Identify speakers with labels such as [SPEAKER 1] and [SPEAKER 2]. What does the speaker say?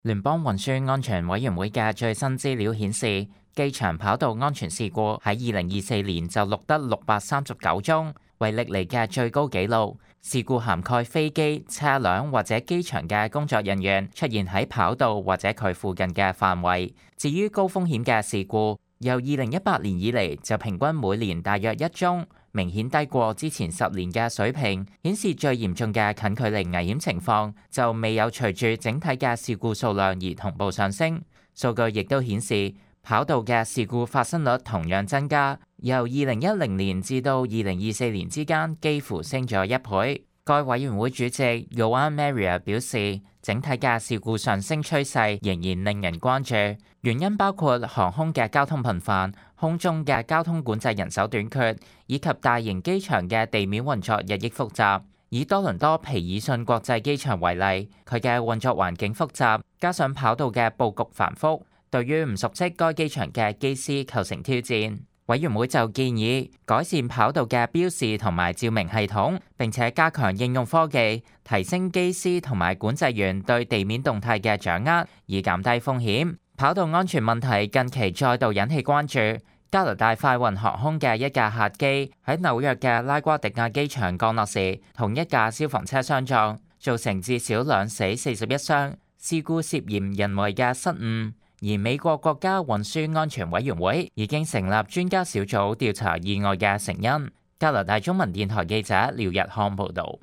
[SPEAKER 1] 聯邦運輸安全委員會嘅最新資料顯示，機場跑道安全事故喺2024年就錄得639宗，為歷嚟嘅最高紀錄。事故涵蓋飛機、車輛或者機場嘅工作人員出現喺跑道或者佢附近嘅範圍。至於高風險嘅事故，由2018年以嚟就平均每年大約1宗。明顯低過之前10年嘅水平，顯示最嚴重嘅近距離危險情況就未有隨住整體嘅事故數量而同步上升。數據亦都顯示，跑道嘅事故發生率同樣增加，由2010年至到2024年之間幾乎升咗1倍。該委員會主席 Joan Maria 表示，整體嘅事故上升趨勢仍然令人關注，原因包括航空嘅交通頻繁、空中嘅交通管制人手短缺，以及大型機場嘅地面運作日益複雜。以多倫多皮爾遜國際機場為例，佢嘅運作環境複雜，加上跑道嘅佈局繁複，對於唔熟悉該機場嘅機師構成挑戰。委員會就建議改善跑道嘅標示同埋照明系統，並且加強應用科技，提升機師同埋管制員對地面動態嘅掌握，以減低風險。跑道安全問題近期再度引起關注。加拿大快運航空嘅一架客機喺紐約嘅拉瓜迪亞機場降落時，同一架消防車相撞，造成至少2死41傷。事故涉嫌人為嘅失誤。而美國國家運輸安全委員會已經成立專家小組調查意外嘅成因。加拿大中文電台記者廖日康報導。